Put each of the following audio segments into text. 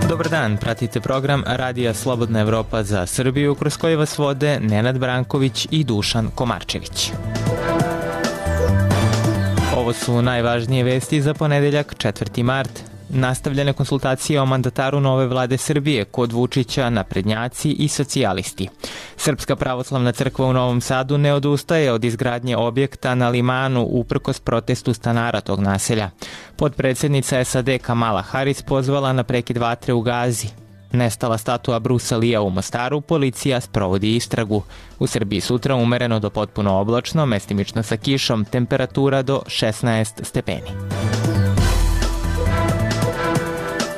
Dobar dan, pratite program Radija Slobodna Evropa za Srbiju, kroz koji vas vode Nenad Branković i Dušan Komarčević. Ovo su najvažnije vesti za ponedeljak, 4. mart. Nastavljene konsultacije o mandataru nove vlade Srbije kod Vučića, naprednjaci i socijalisti. Srpska pravoslavna crkva u Novom Sadu ne odustaje od izgradnje objekta na Limanu uprkos protestu stanara tog naselja. Potpredsednica SAD Kamala Harris pozvala na prekid vatre u Gazi. Nestala statua Brusa Lija u Mostaru, policija sprovodi istragu. U Srbiji sutra umereno do potpuno oblačno, mestimično sa kišom, temperatura do 16 stepeni.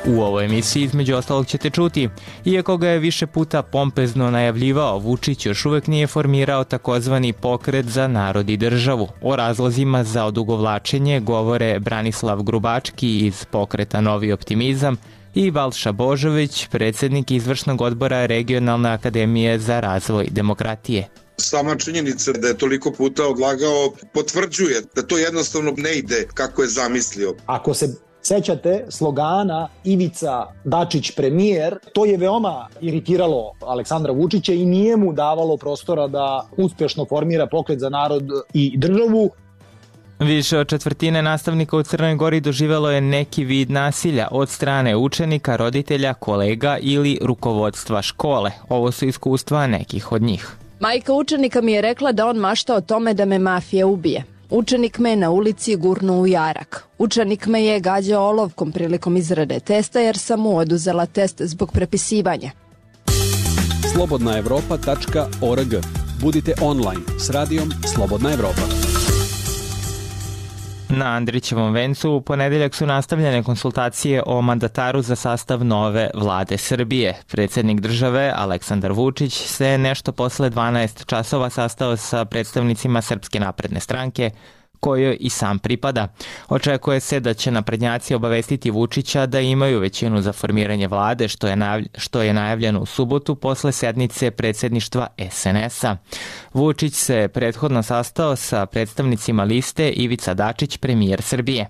U ovoj emisiji između ostalog ćete čuti, iako ga je više puta pompezno najavljivao, Vučić još uvek nije formirao takozvani pokret za narod i državu. O razlozima za odugovlačenje govore Branislav Grubački iz pokreta Novi optimizam i Balša Božović, predsednik izvršnog odbora Regionalne akademije za razvoj demokratije. Sama činjenica da je toliko puta odlagao potvrđuje da to jednostavno ne ide kako je zamislio. Ako se sećate slogana Ivica Dačić premijer, to je veoma iritiralo Aleksandra Vučića i nije mu davalo prostora da uspešno formira pokret za narod i državu. Više od četvrtine nastavnika u Crnoj Gori doživelo je neki vid nasilja od strane učenika, roditelja, kolega ili rukovodstva škole. Ovo su iskustva nekih od njih. Majka učenika mi je rekla da on mašta o tome da me mafija ubije. Učenik me je na ulici gurnuo u jarak. Učenik me je gađao olovkom prilikom izrade testa jer sam mu oduzela test zbog prepisivanja. slobodnaevropa.org. Budite online s radijom Slobodna Evropa. Na Andrićevom vencu u ponedeljak su nastavljene konsultacije o mandataru za sastav nove vlade Srbije. Predsednik države Aleksandar Vučić se nešto posle 12 časova sastao sa predstavnicima Srpske napredne stranke, kojoj i sam pripada. Očekuje se da će naprednjaci obavestiti Vučića da imaju većinu za formiranje vlade, što je najavljeno u subotu posle sednice predsedništva SNS-a. Vučić se prethodno sastao sa predstavnicima liste Ivica Dačić, premijer Srbije.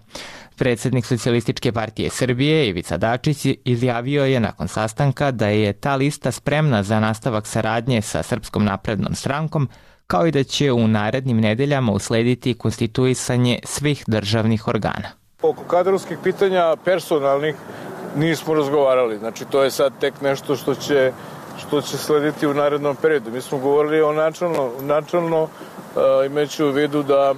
Predsednik Socijalističke partije Srbije Ivica Dačić izjavio je nakon sastanka da je ta lista spremna za nastavak saradnje sa Srpskom naprednom strankom, kao i da će u narednim nedeljama uslediti konstituisanje svih državnih organa. Oko kadrovskih pitanja personalnih nismo razgovarali, znači to je sad tek nešto što će slediti u narednom periodu. Mi smo govorili o načalno imajući u vidu da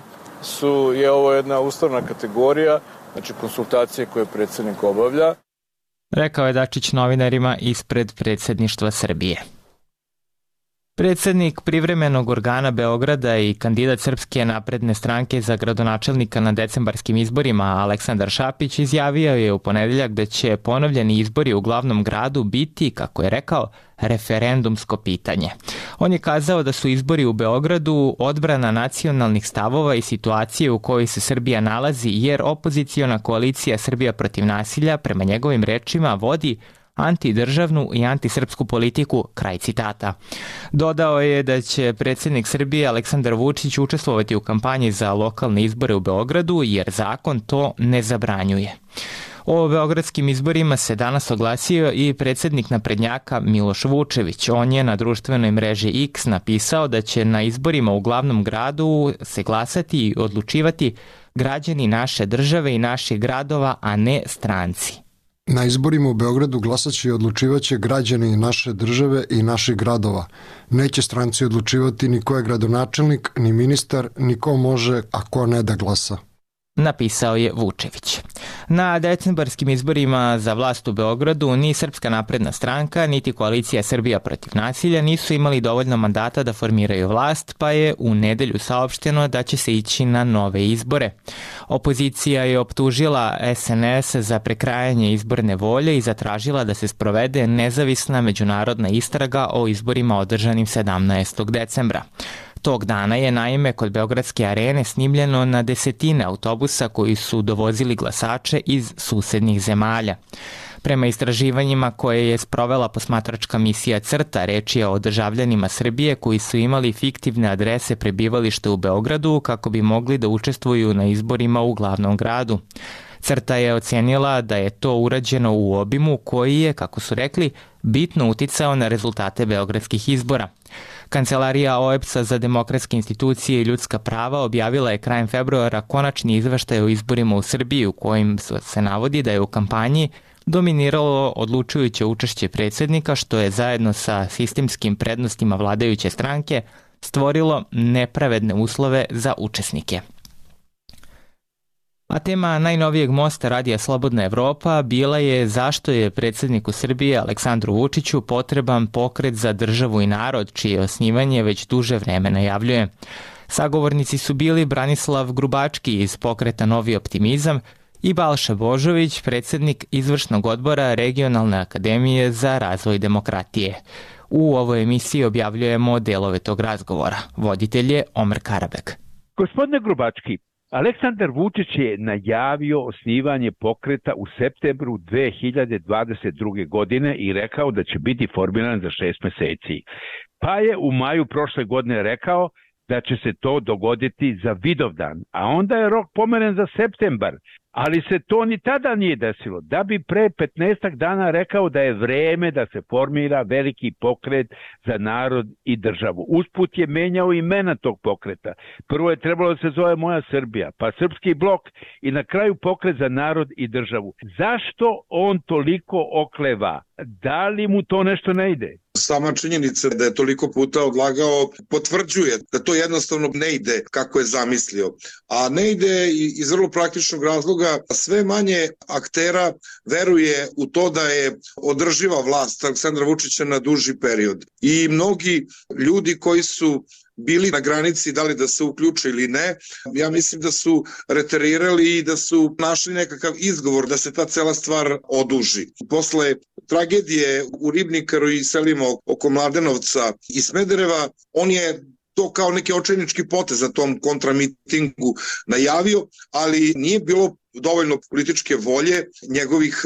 je ovo jedna ustavna kategorija, znači konsultacije koje predsednik obavlja. Rekao je Dačić novinarima ispred predsedništva Srbije. Predsednik privremenog organa Beograda i kandidat Srpske napredne stranke za gradonačelnika na decembarskim izborima Aleksandar Šapić izjavio je u ponedeljak da će ponovljeni izbori u glavnom gradu biti, kako je rekao, referendumsko pitanje. On je kazao da su izbori u Beogradu odbrana nacionalnih stavova i situacije u kojoj se Srbija nalazi, jer opoziciona koalicija Srbija protiv nasilja, prema njegovim rečima, vodi antidržavnu i antisrpsku politiku, kraj citata. Dodao je da će predsednik Srbije Aleksandar Vučić učestvovati u kampanji za lokalne izbore u Beogradu, jer zakon to ne zabranjuje. O beogradskim izborima se danas oglasio i predsednik naprednjaka Miloš Vučević. On je na društvenoj mreži X napisao da će na izborima u glavnom gradu se glasati i odlučivati građani naše države i naših gradova, a ne stranci. Na izborima u Beogradu glasaće i odlučivaće građani naše države i naših gradova. Neće stranci odlučivati ni ko je gradonačelnik, ni ministar, ni ko može, a ko ne da glasa. Napisao je Vučević. Na decembarskim izborima za vlast u Beogradu ni Srpska napredna stranka, niti koalicija Srbija protiv nasilja nisu imali dovoljno mandata da formiraju vlast, pa je u nedelju saopšteno da će se ići na nove izbore. Opozicija je optužila SNS za prekrajanje izborne volje i zatražila da se sprovede nezavisna međunarodna istraga o izborima održanim 17. decembra. Tog dana je naime kod Beogradske arene snimljeno na desetine autobusa koji su dovozili glasače iz susednih zemalja. Prema istraživanjima koje je sprovela posmatračka misija CRTA, reč je o državljanima Srbije koji su imali fiktivne adrese prebivališta u Beogradu kako bi mogli da učestvuju na izborima u glavnom gradu. CRTA je ocenila da je to urađeno u obimu koji je, kako su rekli, bitno uticao na rezultate beogradskih izbora. Kancelarija OEBS-a za demokratske institucije i ljudska prava objavila je krajem februara konačni izveštaj o izborima u Srbiji u kojim se navodi da je u kampanji dominiralo odlučujuće učešće predsjednika, što je zajedno sa sistemskim prednostima vladajuće stranke stvorilo nepravedne uslove za učesnike. A tema najnovijeg mosta Radija Slobodna Evropa bila je zašto je predsjedniku Srbije Aleksandru Vučiću potreban pokret za državu i narod, čije osnivanje već duže vreme najavljuje. Sagovornici su bili Branislav Grubački iz pokreta Novi optimizam i Balša Božović, predsjednik izvršnog odbora Regionalne akademije za razvoj demokratije. U ovoj emisiji objavljujemo delove tog razgovora. Voditelj je Omer Karabek. Gospodine Grubački, Aleksandar Vučić je najavio osnivanje pokreta u septembru 2022. godine i rekao da će biti formiran za 6 meseci. Pa je u maju prošle godine rekao da će se to dogoditi za Vidovdan, a onda je rok pomeren za septembar. Ali se to ni tada nije desilo, da bi pre 15 dana rekao da je vreme da se formira veliki pokret za narod i državu. Usput je menjao imena tog pokreta. Prvo je trebalo da se zove Moja Srbija, pa Srpski blok i na kraju pokret za narod i državu. Zašto on toliko okleva? Da li mu to nešto ne ide? Sama činjenica da je toliko puta odlagao potvrđuje da to jednostavno ne ide kako je zamislio. A ne ide iz vrlo praktičnog razloga, sve manje aktera veruje u to da je održiva vlast Aleksandra Vučića na duži period. I mnogi ljudi koji su bili na granici da li da se uključe ili ne, ja mislim da su reterirali i da su našli nekakav izgovor da se ta cela stvar oduži. Posle tragedije u Ribnikaru i selima oko Mladenovca i Smedereva, on je to kao neki očajnički potez na tom kontramitingu najavio, ali nije bilo dovoljno političke volje njegovih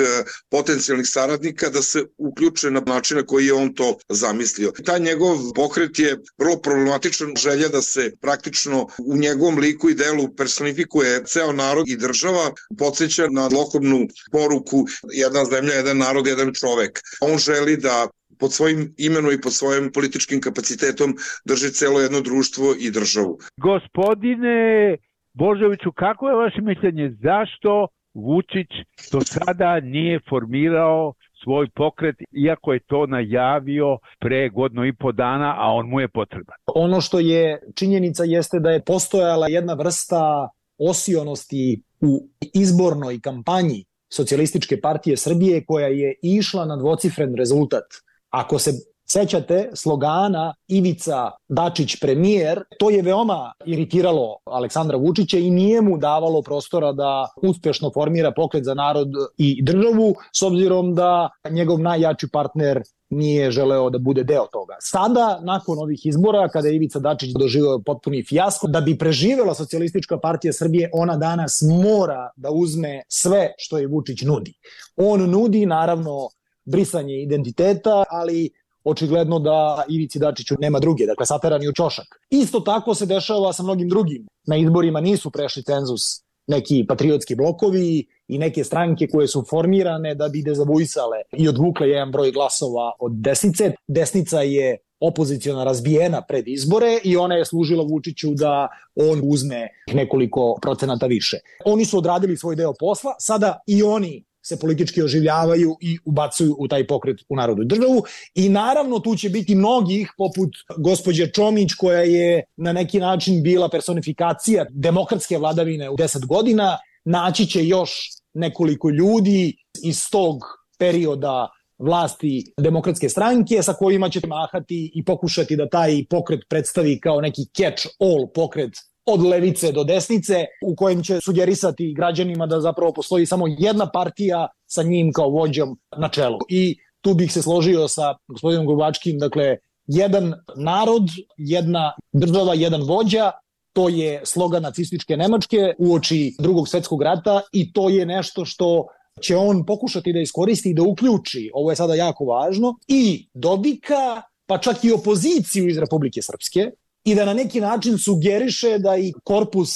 potencijalnih saradnika da se uključe na način na koji je on to zamislio. Taj njegov pokret je vrlo problematičan, želja da se praktično u njegovom liku i delu personifikuje ceo narod i država, podsjeća na zlokobnu poruku jedna zemlja, jedan narod, jedan čovek. On želi da pod svojim imenom i pod svojim političkim kapacitetom drži celo jedno društvo i državu. Gospodine Božoviću, kako je vaše mišljenje? Zašto Vučić do sada nije formirao svoj pokret, iako je to najavio pre 1,5 dana, a on mu je potreban? Ono što je činjenica jeste da je postojala jedna vrsta osionosti u izbornoj kampanji Socijalističke partije Srbije koja je išla na dvocifren rezultat. Ako se sećate slogana Ivica Dačić premijer, to je veoma iritiralo Aleksandra Vučića i nije mu davalo prostora da uspešno formira pokret za narod i državu, s obzirom da njegov najjači partner nije želeo da bude deo toga. Sada, nakon ovih izbora, kada je Ivica Dačić doživeo potpuni fijasko, da bi preživela Socijalistička partija Srbije, ona danas mora da uzme sve što je Vučić nudi. On nudi, naravno, brisanje identiteta, ali očigledno da Ivici Dačiću nema druge, dakle sateran je u ćošak. Isto tako se dešava sa mnogim drugim. Na izborima nisu prešli cenzus neki patriotski blokovi i neke stranke koje su formirane da bi dezavuisale i odvukle jedan broj glasova od desnice. Desnica je opoziciona razbijena pred izbore i ona je služila Vučiću da on uzme nekoliko procenata više. Oni su odradili svoj deo posla, sada i oni se politički oživljavaju i ubacuju u taj pokret u narodu i državu. I naravno tu će biti mnogih, poput gospođe Čomić, koja je na neki način bila personifikacija demokratske vladavine u 10 godina. Naći će još nekoliko ljudi iz tog perioda vlasti Demokratske stranke sa kojima će mahati i pokušati da taj pokret predstavi kao neki catch-all pokret od levice do desnice, u kojem će sugerisati građanima da zapravo postoji samo jedna partija sa njim kao vođom na čelu. I tu bih se složio sa gospodinom Grubačkim, dakle, jedan narod, jedna država, jedan vođa, to je slogan nacističke Nemačke uoči Drugog svjetskog rata i to je nešto što će on pokušati da iskoristi i da uključi, ovo je sada jako važno, i Dodika, pa čak i opoziciju iz Republike Srpske, i da na neki način sugeriše da i korpus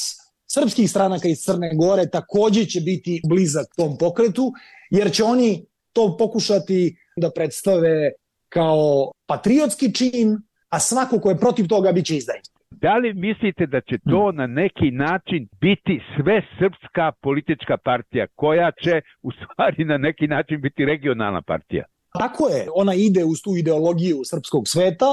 srpskih stranaka iz Crne Gore takođe će biti blizak tom pokretu, jer će oni to pokušati da predstave kao patriotski čin, a svako ko je protiv toga biće izdajnik. Da li mislite da će to na neki način biti sve srpska politička partija koja će u stvari na neki način biti regionalna partija? Tako je, ona ide uz tu ideologiju srpskog sveta,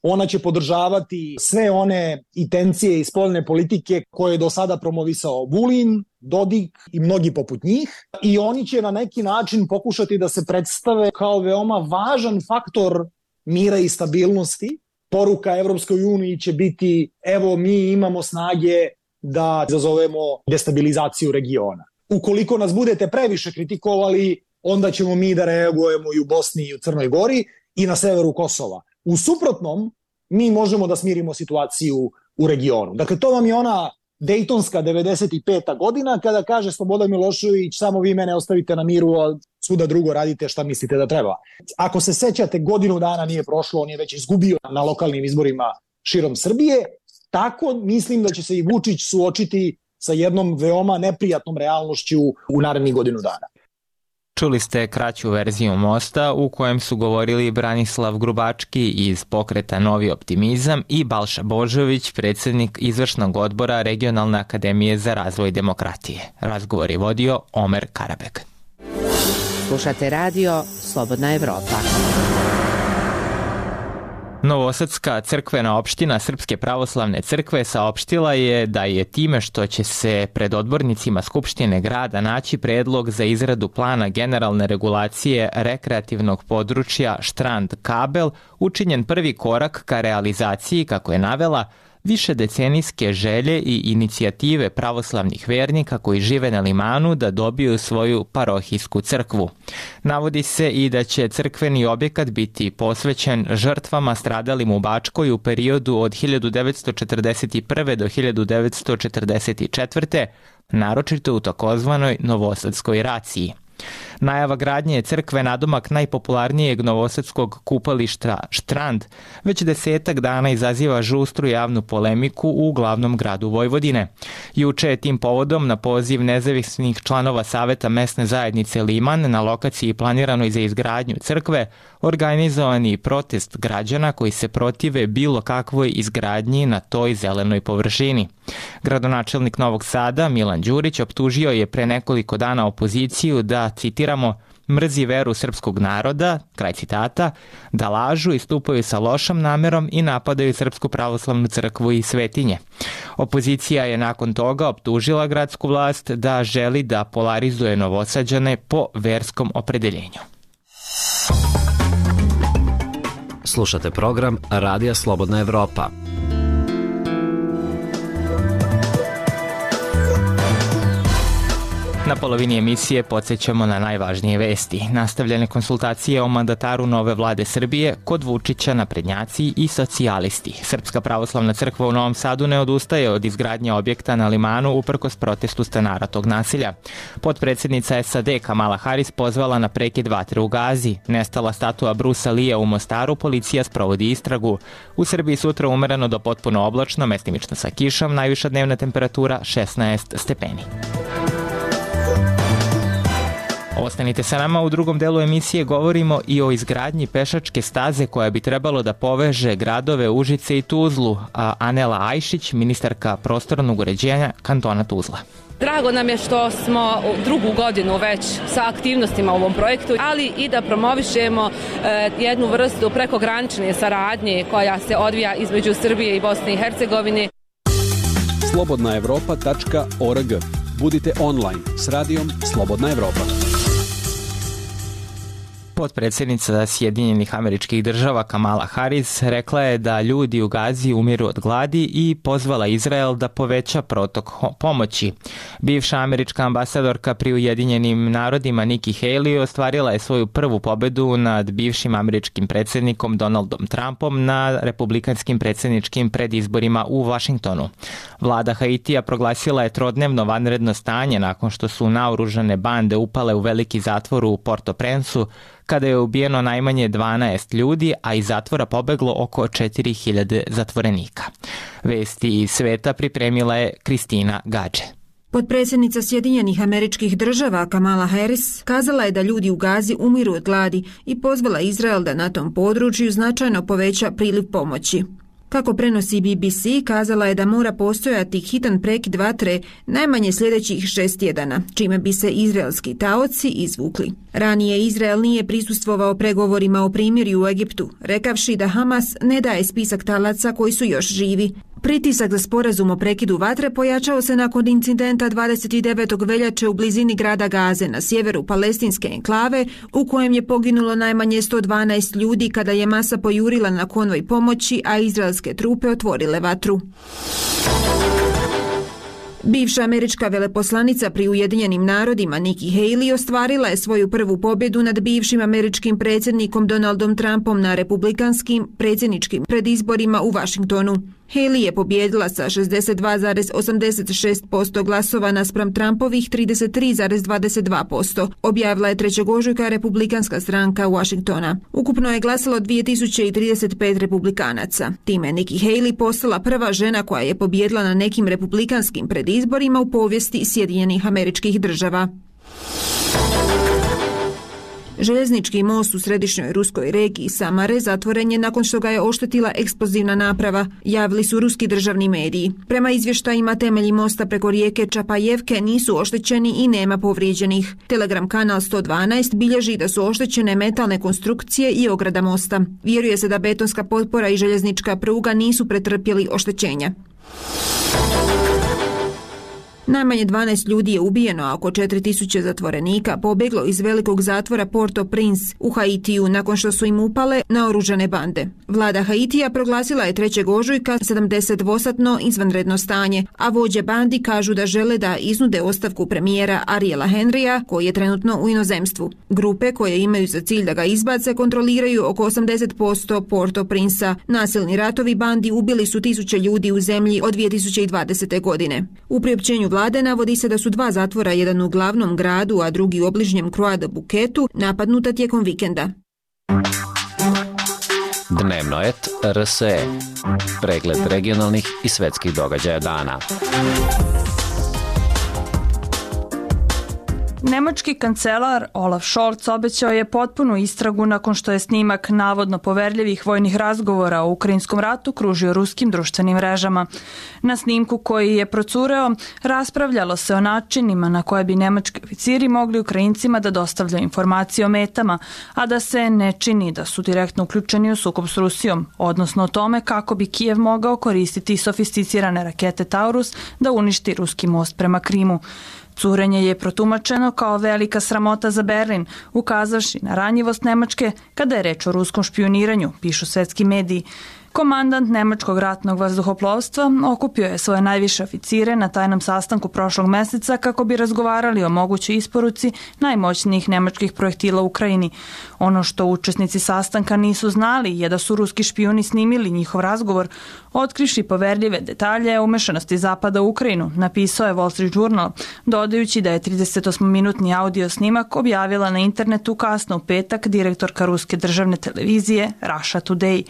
ona će podržavati sve one intencije i spoljne politike koje je do sada promovisao Vulin, Dodik i mnogi poput njih, i oni će na neki način pokušati da se predstave kao veoma važan faktor mira i stabilnosti. Poruka Evropskoj uniji će biti, evo mi imamo snage da izazovemo destabilizaciju regiona. Ukoliko nas budete previše kritikovali, onda ćemo mi da reagujemo i u Bosni i u Crnoj Gori i na severu Kosova. U suprotnom, mi možemo da smirimo situaciju u regionu. Dakle, to vam je ona Dejtonska 95. godina kada kaže Slobodan Milošević, samo vi mene ostavite na miru, a svuda drugo radite šta mislite da treba. Ako se sećate, godinu dana nije prošlo, on je već izgubio na lokalnim izborima širom Srbije. Tako mislim da će se i Vučić suočiti sa jednom veoma neprijatnom realnošću u narednih godinu dana. Čuli ste kraću verziju Mosta u kojem su govorili Branislav Grubački iz pokreta Novi optimizam i Balša Božović, predsjednik izvršnog odbora Regionalne akademije za razvoj demokratije. Razgovor je vodio Omer Karabek. Slušate radio Slobodna Evropa. Novosadska crkvena opština Srpske pravoslavne crkve saopštila je da je time što će se pred odbornicima Skupštine grada naći predlog za izradu plana generalne regulacije rekreativnog područja Štrand Kabel učinjen prvi korak ka realizaciji, kako je navela, višedecenijske želje i inicijative pravoslavnih vernika koji žive na Limanu da dobiju svoju parohijsku crkvu. Navodi se i da će crkveni objekat biti posvećen žrtvama stradalim u Bačkoj u periodu od 1941. do 1944. naročito u takozvanoj Novosadskoj raciji. Najava gradnje je crkve nadomak najpopularnijeg novosadskog kupališta Štrand već 10 dana izaziva žustru javnu polemiku u glavnom gradu Vojvodine. Juče je tim povodom na poziv nezavisnih članova Saveta mesne zajednice Liman na lokaciji planiranoj za izgradnju crkve organizovani protest građana koji se protive bilo kakvoj izgradnji na toj zelenoj površini. Gradonačelnik Novog Sada Milan Đurić optužio je pre nekoliko dana opoziciju da, citiramo, mrzi veru srpskog naroda, kraj citata, da lažu i stupaju sa lošom namerom i napadaju Srpsku pravoslavnu crkvu i svetinje. Opozicija je nakon toga optužila gradsku vlast da želi da polarizuje Novosađane po verskom opredeljenju. Slušate program Radija Slobodna Evropa. Na polovini emisije podsjećamo na najvažnije vesti. Nastavljene konsultacije o mandataru nove vlade Srbije kod Vučića, naprednjaci i socijalisti. Srpska pravoslavna crkva u Novom Sadu ne odustaje od izgradnje objekta na Limanu uprkos protestu stanara tog naselja. Potpredsjednica SAD Kamala Harris pozvala na prekid vatre u Gazi. Nestala statua Brusa Lija u Mostaru, policija sprovodi istragu. U Srbiji sutra umereno do potpuno oblačno, mestimično sa kišom, najviša dnevna temperatura 16 stepeni. Ostanite sa nama, u drugom delu emisije govorimo i o izgradnji pešačke staze koja bi trebalo da poveže gradove Užice i Tuzlu, a Anela Ajšić, ministarka prostornog uređenja kantona Tuzla. Drago nam je što smo drugu godinu već sa aktivnostima u ovom projektu, ali i da promovišemo jednu vrstu prekogranične saradnje koja se odvija između Srbije i Bosne i Hercegovine. slobodnaevropa.org. Budite online s radijom Slobodna Evropa. Potpredsjednica Sjedinjenih Američkih Država Kamala Harris rekla je da ljudi u Gazi umiru od gladi i pozvala Izrael da poveća protok pomoći. Bivša američka ambasadorka pri Ujedinjenim narodima Nikki Haley ostvarila je svoju prvu pobedu nad bivšim američkim predsjednikom Donaldom Trumpom na republikanskim predsjedničkim predizborima u Vašingtonu. Vlada Haitija proglasila je trodnevno vanredno stanje nakon što su naoružane bande upale u veliki zatvor u Port-au-Prince-u, kada je ubijeno najmanje 12 ljudi, a iz zatvora pobeglo oko 4000 zatvorenika. Vesti iz sveta pripremila je Kristina Gađe. Potpredsjednica Sjedinjenih Američkih Država Kamala Harris kazala je da ljudi u Gazi umiru od gladi i pozvala Izrael da na tom području značajno poveća priliv pomoći. Kako prenosi BBC, kazala je da mora postojati hitan prekid vatre najmanje sljedećih 6 tjedana, čime bi se izraelski taoci izvukli. Ranije Izrael nije prisustvovao pregovorima o primirju u Egiptu, rekavši da Hamas ne daje spisak talaca koji su još živi. Pritisak za sporazum o prekidu vatre pojačao se nakon incidenta 29. veljače u blizini grada Gaze na sjeveru palestinske enklave, u kojem je poginulo najmanje 112 ljudi kada je masa pojurila na konvoj pomoći, a izraelske trupe otvorile vatru. Bivša američka veleposlanica pri Ujedinjenim narodima Nikki Haley ostvarila je svoju prvu pobjedu nad bivšim američkim predsjednikom Donaldom Trumpom na republikanskim predsjedničkim predizborima u Vašingtonu. Haley je pobjedila sa 62,86% glasova naspram Trumpovih 33,22%, objavila je 3. ožujka republikanska stranka Washingtona. Ukupno je glasalo 2035 republikanaca. Time je Nikki Haley postala prva žena koja je pobjedila na nekim republikanskim predizborima u povijesti Sjedinjenih Američkih Država. Željeznički most u središnjoj ruskoj regiji Samare zatvoren je nakon što ga je oštetila eksplozivna naprava, javili su ruski državni mediji. Prema izvještajima, temelji mosta preko rijeke Čapajevke nisu oštećeni i nema povrijeđenih. Telegram kanal 112 bilježi da su oštećene metalne konstrukcije i ograda mosta. Vjeruje se da betonska potpora i željeznička pruga nisu pretrpjeli oštećenja. Najmanje 12 ljudi je ubijeno, a oko 4000 zatvorenika pobjeglo iz velikog zatvora Port-au-Prince u Haitiju nakon što su im upale naoružane bande. Vlada Haitija proglasila je 3. ožujka 72-satno izvanredno stanje, a vođe bandi kažu da žele da iznude ostavku premijera Ariela Henrya, koji je trenutno u inozemstvu. Grupe koje imaju za cilj da ga izbace kontroliraju oko 80% Port-au-Prince-a. Nasilni ratovi bandi ubili su 1000 ljudi u zemlji od 2020. godine. U priopćenju vlade navodi se da su 2 zatvora, jedan u glavnom gradu, a drugi u obližnjem Croix de Buketu, napadnuta tijekom vikenda. Dnevno et RSE. Pregled regionalnih i svetskih događaja dana. Nemački kancelar Olaf Scholz obećao je potpunu istragu nakon što je snimak navodno poverljivih vojnih razgovora o ukrajinskom ratu kružio ruskim društvenim mrežama. Na snimku koji je procureo raspravljalo se o načinima na koje bi nemački oficiri mogli Ukrajincima da dostavljaju informacije o metama, a da se ne čini da su direktno uključeni u sukob s Rusijom, odnosno o tome kako bi Kijev mogao koristiti sofisticirane rakete Taurus da uništi ruski most prema Krimu. Curenje je protumačeno kao velika sramota za Berlin, ukazavši na ranjivost Nemačke kada je reč o ruskom špijuniranju, pišu svetski mediji. Komandant Nemačkog ratnog vazduhoplovstva okupio je svoje najviše oficire na tajnom sastanku prošlog meseca kako bi razgovarali o mogućoj isporuci najmoćnijih nemačkih projektila u Ukrajini. Ono što učesnici sastanka nisu znali je da su ruski špijuni snimili njihov razgovor, otkrivši poverljive detalje o umešanosti Zapada u Ukrajinu, napisao je Wall Street Journal, dodajući da je 38-minutni audio snimak objavila na internetu kasno u petak direktorka ruske državne televizije Russia Today.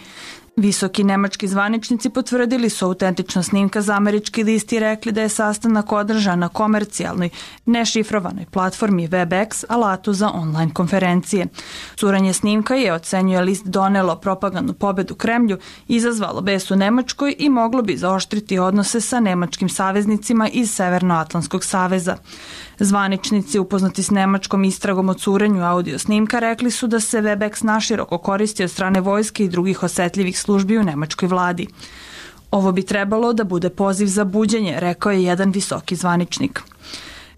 Visoki nemački zvaničnici potvrdili su autentičnost snimka za američki list i rekli da je sastanak održan na komercijalnoj, nešifrovanoj platformi WebEx, alatu za online konferencije. Curenje snimka je, ocenjuje list, donelo propagandnu pobedu Kremlju, izazvalo bes u Nemačkoj i moglo bi zaoštriti odnose sa nemačkim saveznicima iz Severnoatlantskog saveza. Zvaničnici upoznati s nemačkom istragom o curenju audio snimka rekli su da se WebEx naširoko koristi od strane vojske i drugih osetljivih službi u nemačkoj vladi. Ovo bi trebalo da bude poziv za buđenje, rekao je jedan visoki zvaničnik.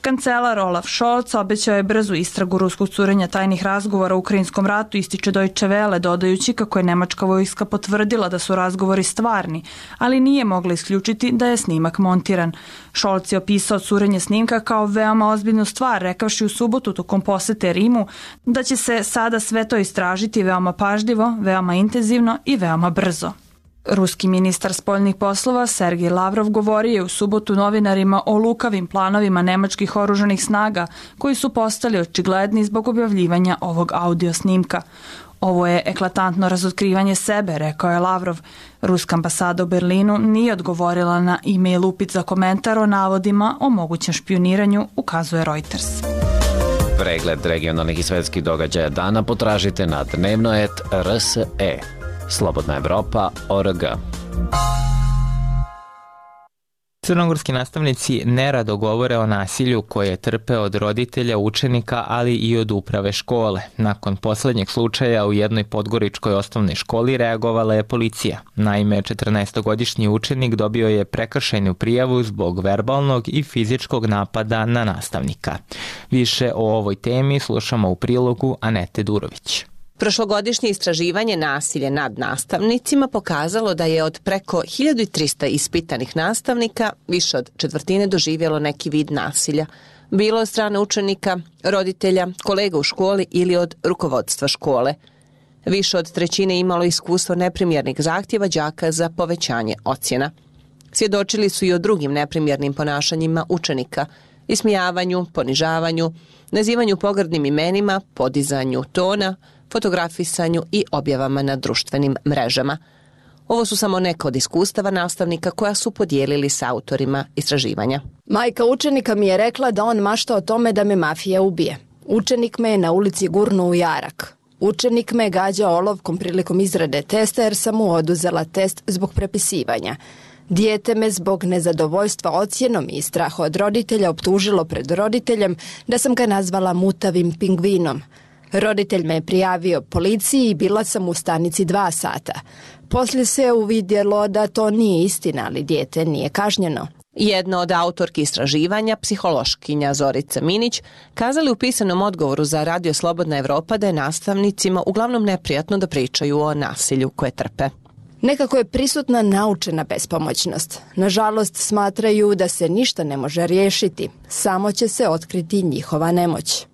Kancelar Olaf Scholz obećao je brzu istragu ruskog curenja tajnih razgovora u ukrajinskom ratu, ističe Deutsche Welle, dodajući kako je nemačka vojska potvrdila da su razgovori stvarni, ali nije mogla isključiti da je snimak montiran. Scholz je opisao curenje snimka kao veoma ozbiljnu stvar, rekavši u subotu tokom posete Rimu da će se sada sve to istražiti veoma pažljivo, veoma intenzivno i veoma brzo. Ruski ministar spoljnih poslova Sergej Lavrov govorio je u subotu novinarima o lukavim planovima nemačkih oružanih snaga koji su postali očigledni zbog objavljivanja ovog audio snimka. Ovo je eklatantno razotkrivanje sebe, rekao je Lavrov. Ruska ambasada u Berlinu nije odgovorila na e-mail upit za komentar o navodima o mogućem špijuniranju, ukazuje Reuters. Pregled regionalnih i svetskih događaja dana potražite na dnevno.rs.e. Slobodna Evropa.org. Crnogorski nastavnici nerado govore o nasilju koje trpe od roditelja, učenika, ali i od uprave škole. Nakon poslednjeg slučaja u jednoj podgoričkoj osnovnoj školi reagovala je policija. Naime, 14-godišnji učenik dobio je prekršajnu prijavu zbog verbalnog i fizičkog napada na nastavnika. Više o ovoj temi slušamo u prilogu Anete Durović. Prošlogodišnje istraživanje nasilja nad nastavnicima pokazalo da je od preko 1300 ispitanih nastavnika više od četvrtine doživjelo neki vid nasilja. Bilo od strane učenika, roditelja, kolega u školi ili od rukovodstva škole. Više od trećine imalo iskustvo neprimjernih zahtjeva đaka za povećanje ocjena. Svjedočili su i o drugim neprimjernim ponašanjima učenika, ismijavanju, ponižavanju, nazivanju pogrdnim imenima, podizanju tona, fotografisanju i objavama na društvenim mrežama. Ovo su samo neka od iskustava nastavnika koja su podijelili s autorima istraživanja. Majka učenika mi je rekla da on mašta o tome da me mafija ubije. Učenik me je na ulici gurnuo u jarak. Učenik me je gađao olovkom prilikom izrade testa jer sam mu oduzela test zbog prepisivanja. Dijete me zbog nezadovoljstva ocjenom i straha od roditelja optužilo pred roditeljem da sam ga nazvala mutavim pingvinom. Roditelj me je prijavio policiji i bila sam u stanici 2 sata. Poslije se uvidjelo da to nije istina, ali dijete nije kažnjeno. Jedna od autorki istraživanja, psihološkinja Zorica Minić, kazali u pisanom odgovoru za Radio Slobodna Evropa da je nastavnicima uglavnom neprijatno da pričaju o nasilju koje trpe. Nekako je prisutna naučena bespomoćnost. Nažalost, smatraju da se ništa ne može riješiti, samo će se otkriti njihova nemoć.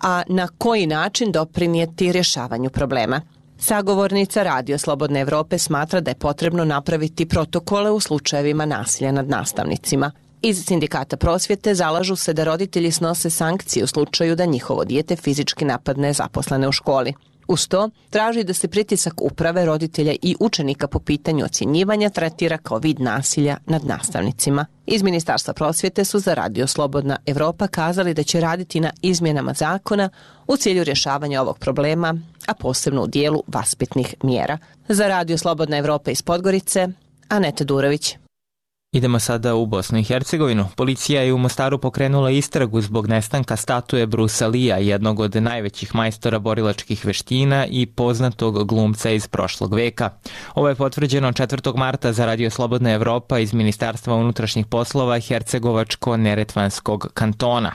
A na koji način doprinijeti rješavanju problema? Sagovornica Radio Slobodne Evrope smatra da je potrebno napraviti protokole u slučajevima nasilja nad nastavnicima. Iz Sindikata prosvjete zalažu se da roditelji snose sankcije u slučaju da njihovo dijete fizički napadne zaposlene u školi. Uz to, traži da se pritisak uprave, roditelja i učenika po pitanju ocjenjivanja tretira kao vid nasilja nad nastavnicima. Iz Ministarstva prosvjete su za Radio Slobodna Evropa kazali da će raditi na izmjenama zakona u cilju rješavanja ovog problema, a posebno u dijelu vaspitnih mjera. Za Radio Slobodna Evropa iz Podgorice, Aneta Durović. Idemo sada u Bosnu i Hercegovinu. Policija je u Mostaru pokrenula istragu zbog nestanka statue Brusa Lee-a, jednog od najvećih majstora borilačkih veština i poznatog glumca iz prošlog veka. Ovo je potvrđeno 4. marta za Radio Slobodna Evropa iz Ministarstva unutrašnjih poslova Hercegovačko-Neretvanskog kantona.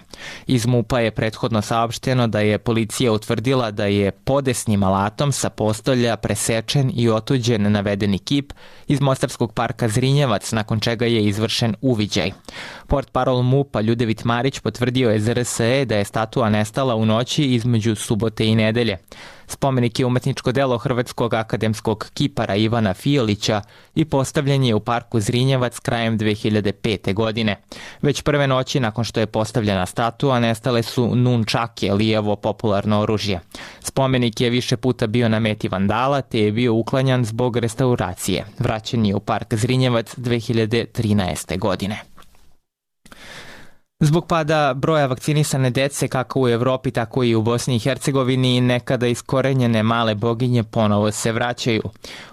Iz MUP-a je prethodno saopšteno da je policija utvrdila da je podesnim alatom sa postolja presečen i otuđen navedeni kip iz Mostarskog parka Zrinjevac, nakon čega je izvršen uviđaj. Portparol MUP-a Ljudevit Marić potvrdio je za RSE da je statua nestala u noći između subote i nedelje. Spomenik je umetničko delo hrvatskog akademskog kipara Ivana Fijolića i postavljen je u parku Zrinjevac krajem 2005. godine. Već prve noći nakon što je postavljena statua nestale su nunčake, Lijevo popularno oružje. Spomenik je više puta bio na meti vandala te je bio uklanjan zbog restauracije. Vraćen je u park Zrinjevac 2013. godine. Zbog pada broja vakcinisane dece kako u Evropi, tako i u Bosni i Hercegovini, nekada iskorenjene male boginje ponovo se vraćaju.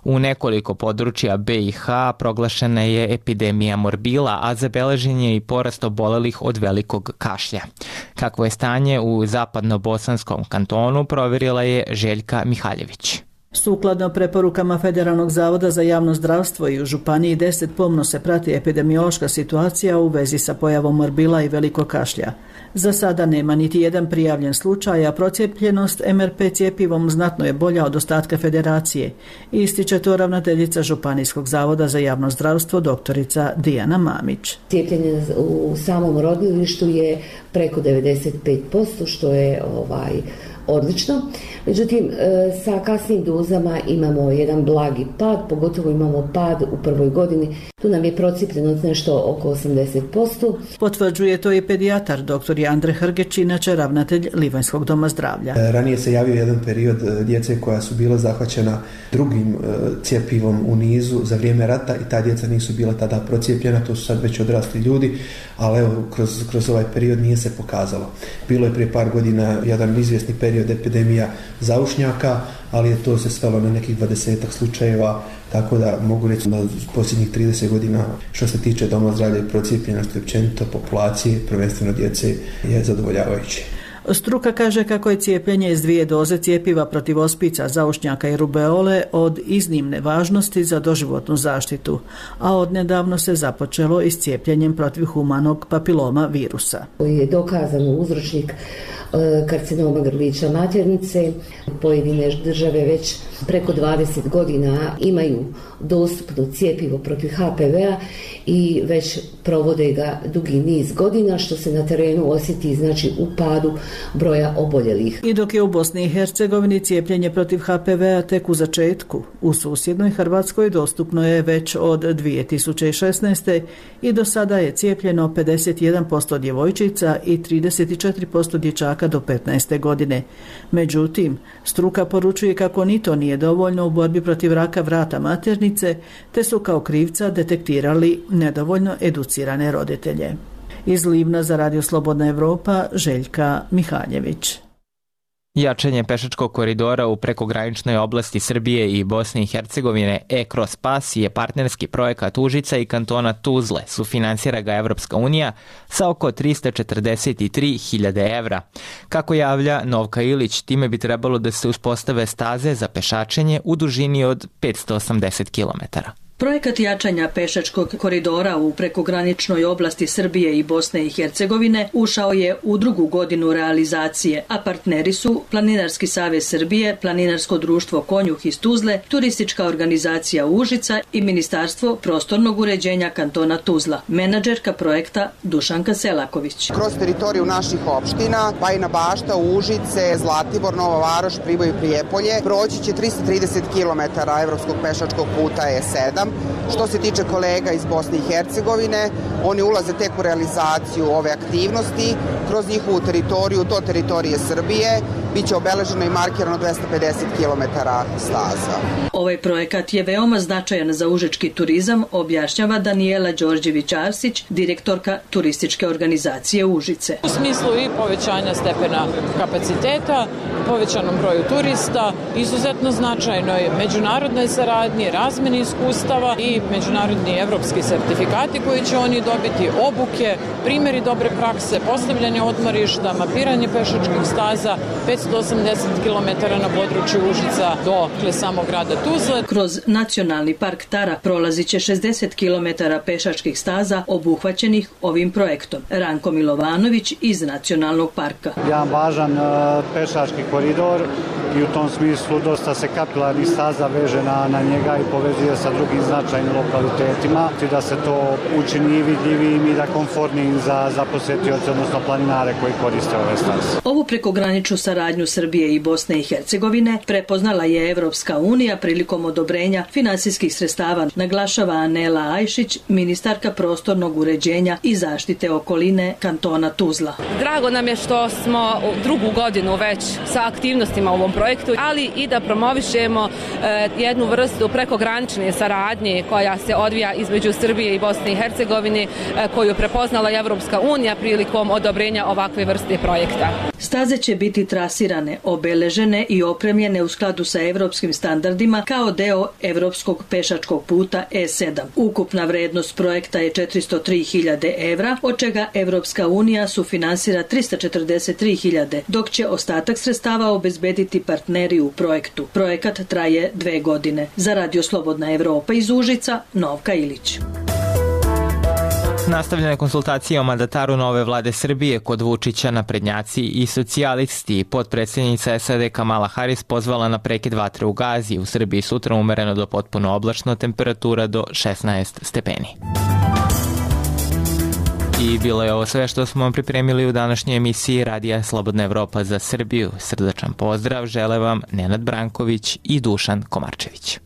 U nekoliko područja BiH proglašena je epidemija morbila, a zabeležen je i porast obolelih od velikog kašlja. Kakvo je stanje u zapadno-bosanskom kantonu, provjerila je Željka Mihaljević. Sukladno preporukama Federalnog zavoda za javno zdravstvo i u Županiji 10 pomno se prati epidemiološka situacija u vezi sa pojavom morbila i velikog kašlja. Za sada nema niti jedan prijavljen slučaj, a procijepljenost MRP cijepivom znatno je bolja od ostatka federacije, ističe to ravnateljica Županijskog zavoda za javno zdravstvo doktorica Dijana Mamić. Cijepljenje u samom rodilištu je preko 95%, što je odlično. Međutim, sa kasnim dozama imamo jedan blagi pad, pogotovo imamo pad u prvoj godini. Tu nam je procijepljenost nešto oko 80%. Potvrđuje to i pedijatar dr. Andre Hrgeć, inače ravnatelj Livanjskog doma zdravlja. Ranije se javio jedan period djece koja su bila zahvaćena drugim cjepivom u nizu za vrijeme rata i ta djeca nisu bila tada procijepljena, to su sad već odrasli ljudi, ali evo, kroz ovaj period nije se pokazalo. Bilo je prije par godina jedan izvjesni period epidemija zaušnjaka, ali je to se svelo na nekih 20 slučajeva, tako da mogu reći da posljednjih 30 godina što se tiče doma zdravlja i procijepljenosti općenito populacije, prvenstveno djece, je zadovoljavajući. Struka kaže kako je cijepljenje iz 2 doze cijepiva protiv ospica, zaušnjaka i rubeole od iznimne važnosti za doživotnu zaštitu, a odnedavno se započelo i s cijepljenjem protiv humanog papiloma virusa. Koji je dokazan uzročnik karcinoma grlića maternice. Pojedine države već preko 20 godina imaju dostupno cijepivo protiv HPV-a i već provode ga dugi niz godina, što se na terenu osjeti znači u padu broja oboljelih. I dok je u Bosni i Hercegovini cijepljenje protiv HPV-a tek u začetku, u susjednoj Hrvatskoj dostupno je već od 2016. i do sada je cijepljeno 51% djevojčica i 34% dječaka do 15. godine. Međutim, struka poručuje kako ni to nije dovoljno u borbi protiv raka vrata maternice, te su kao krivca detektirali nedovoljno educirane roditelje. Iz Livna za Radio Slobodna Evropa, Željka Mihaljević. Jačanje pešačkog koridora u prekograničnoj oblasti Srbije i Bosne i Hercegovine E-Cross Pass je partnerski projekat Užica i kantona Tuzle. Sufinansira ga Evropska unija sa oko 343.000 evra. Kako javlja Novka Ilić, time bi trebalo da se uspostave staze za pešačenje u dužini od 580 kilometara. Projekat jačanja pešačkog koridora u prekograničnoj oblasti Srbije i Bosne i Hercegovine ušao je u 2. godinu realizacije, a partneri su Planinarski savez Srbije, Planinarsko društvo Konjuh iz Tuzle, Turistička organizacija Užica i Ministarstvo prostornog uređenja kantona Tuzla. Menadžerka projekta Dušanka Selaković. Kroz teritoriju naših opština, Bajina Bašta, Užice, Zlatibor, Nova Varoš, Priboj i Prijepolje, proći će 330 km evropskog pešačkog puta E7. Što se tiče kolega iz Bosne i Hercegovine, oni ulaze tek u realizaciju ove aktivnosti. Kroz njihovu teritoriju do teritorije Srbije biće obeleženo i markirano 250 km staza. Ovaj projekat je veoma značajan za užički turizam, objašnjava Danijela Đorđević-Arsić, direktorka turističke organizacije Užice. U smislu i povećanja stepena kapaciteta, povećanom broju turista, izuzetno značajnoj međunarodnoj saradnji, razmeni iskustava i međunarodni evropski sertifikati koji će oni dobiti, obuke, primjeri dobre prakse, postavljanje odmorišta, mapiranje pešačkih staza, 580 km na području Užica do samog grada Tuzle. Kroz nacionalni park Tara prolazit će 60 km pešačkih staza obuhvaćenih ovim projektom. Ranko Milovanović iz nacionalnog parka. Jedan važan pešački koridor i u tom smislu dosta se kapilarnih staza veže na njega i povezuje sa drugim značajnim lokalitetima, da se to učini i vidljivijim i da komfortnijim za posetioce, odnosno planinare koji koriste ove staze. Ovu prekograničnu saradnju Srbije i Bosne i Hercegovine prepoznala je Evropska unija prilikom odobrenja finansijskih sredstava, naglašava Anela Ajšić, ministarka prostornog uređenja i zaštite okoline kantona Tuzla. Drago nam je što smo 2. godinu već sa aktivnostima u ovom projektu, ali i da promovišemo jednu vrstu prekogranične saradnje koja se odvija između Srbije i Bosne i Hercegovine, koju prepoznala Evropska unija prilikom odobrenja ovakve vrste projekta. Staze će biti trasirane, obeležene i opremljene u skladu sa evropskim standardima kao deo evropskog pešačkog puta E7. Ukupna vrednost projekta je 403.000 evra, od čega Evropska unija sufinansira 343.000, dok će ostatak sredstava obezbediti partneri u projektu. Projekat traje 2 godine. Za Radio Slobodna Evropa iz Užica, Novka Ilić. Nastavljene konsultacije o mandataru nove vlade Srbije kod Vučića, naprednjaci i socijalisti. Potpredsjednica SAD Kamala Harris pozvala na prekid vatre u Gazi. U Srbiji sutra umereno do potpuno oblačno, temperatura do 16 stepeni. I bilo je ovo sve što smo vam pripremili u današnjoj emisiji Radija Slobodna Evropa za Srbiju. Srdačan pozdrav žele vam Nenad Branković i Dušan Komarčević.